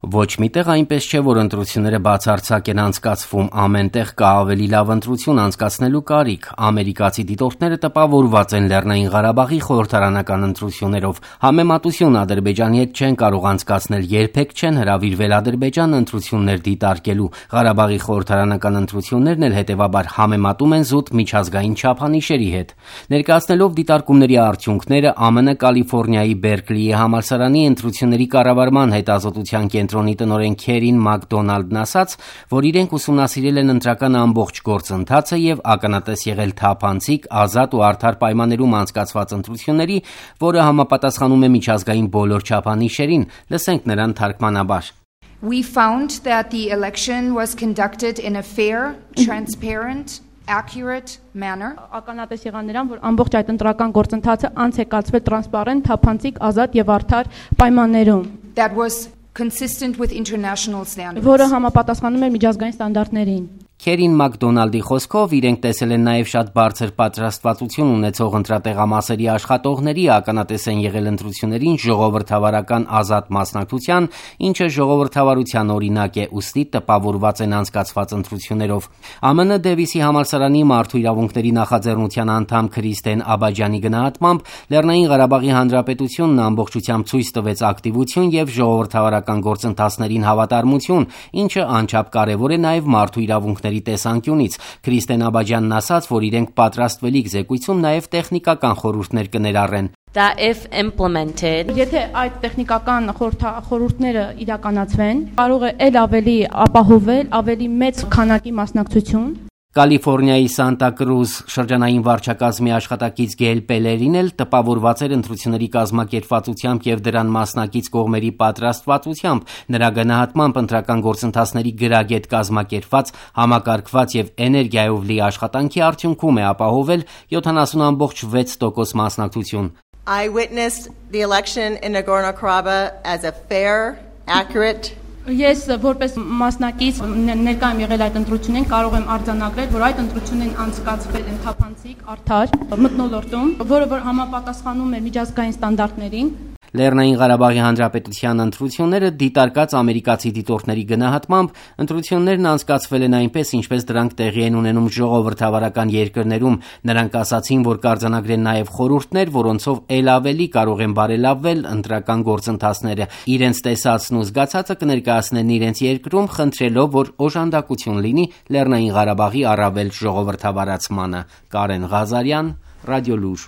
Ոչ միտեղ այնպես չէ, որ ընտրությունները բացարձակ են անցկացվում, ամեն տեղ կա ավելի լավ ընտրություն անցկացնելու կարիք։ Ամերիկացի դիտորդները տպավորված են Լեռնային Ղարաբաղի խորհրդարանական ընտրություններով։ Համեմատություն Ադրբեջանի հետ չեն կարող անցկացնել, երբեք չեն հրավիրվել Ադրբեջան ընտրություններ դիտարկելու։ Ղարաբաղի խորհրդարանական ընտրություններն էլ հետևաբար համեմատում են զուտ միջազգային չափանիշերի հետ։ Ներկայացնելով դիտարկումների արդյունքները, ԱՄՆ Կալիֆոռնիայի Բերկլիի համալսարանի ընտրությունների կառավարման հետազոտության կենտրոնի տնօրեն Քերին Մակդոնալդն ասաց, որ իրենք ուսումնասիրել են ընտրական ամբողջ գործընթացը եւ ականատես եղել թափանցիկ, ազատ ու արդար պայմաններում անցկացված ընտրությունների, որը համապատասխանում է միջազգային բոլոր չափանիշերին։ Լսենք նրան թարգմանաբար. We found that the election was conducted in a fair, transparent, accurate manner. Ականատես եղան նրան, որ ամբողջ այդ ընտրական գործընթացը անց է կացվել տրանսպարենտ, թափանցիկ, ազատ եւ արդար պայմաններում. That was consistent with international standards. Որը համապատասխանում է միջազգային ստանդարտներին. Քերին Մակդոնալդի խոսքով իրենք տեսել են նաև շատ բարձր պատրաստվածություն ունեցող ընտրատեղամասերի աշխատողների ականատես են եղել ընտրություններին ժողովրդավարական ազատ մասնակցության, ինչը ժողովրդավարության օրինակ է, ուստի տպավորված են անցկացված ընտրություններով։ ԱՄՆ Դեվիսի համալսարանի մարդու իրավունքների նախաձեռնության անդամ Քրիստեն Աբաջյանի գնահատմամբ Լեռնային Ղարաբաղի Հանրապետությունն ամբողջությամբ ցույց տվեց ակտիվություն եւ ժողովրդավարական գործընթացներին հավատարմություն, ինչը անչափ կարեւոր է նաև մարդու իրավունքների տեսանկյունից։ Քրիստեն Աբաջյանն ասաց, որ իրենք պատրաստվելիք զեկույցում նաև տեխնիկական խորհուրդներ կներառեն։ That if implemented, եթե այդ տեխնիկական խորհուրդները իրականացվեն, կարող է ել ավելի ապահովել ավելի մեծ քանակի մասնակցություն։ Կալիֆոռնիայի Սանտա Կրուզ շրջանային վարչակազմի աշխատակից Գեյլ Պելերին էլ տպավորված էր ընտրությունների կազմակերպվածությամբ եւ դրան մասնակից կողմերի պատրաստվածությամբ։ Նրա գնահատմամբ ընտրական գործընթացների գրագետ կազմակերպված, համակարգված եւ էներգիայով լի աշխատանքի արդյունքում է ապահովել 70.6% մասնակցություն։ I witnessed the election in Nagorno-Karabakh as a fair, accurate. Ես որպես մասնակից ներկայ եմ եղել այդ ընտրությունին, կարող եմ արձանագրել, որ այդ ընտրությունն անցկացվել են թափանցիկ, արդար, մթնոլորտում, որը որ համապատասխանում է միջազգային ստանդարտներին։ Լեռնային Ղարաբաղի Հանրապետության ընտրությունները դիտարկած ամերիկացի դիտորդների գնահատմամբ ընտրություններն անցկացվել են այնպես, ինչպես դրանք տեղի են ունենում ժողովրդավարական երկրներում։ Նրանք ասացին, որ կարձանագրեն նաև խորհուրդներ, որոնցով ել ավելի կարող են բարելավվել ընտրական գործընթացները։ Իրենց տեսածն ու զգացածը կներկայացնեն իրենց երկրում, խնդրելով, որ օժանդակություն լինի Լեռնային Ղարաբաղի առավել ժողովրդավարացմանը։ Կարեն Ղազարյան, Ռադիոլուր։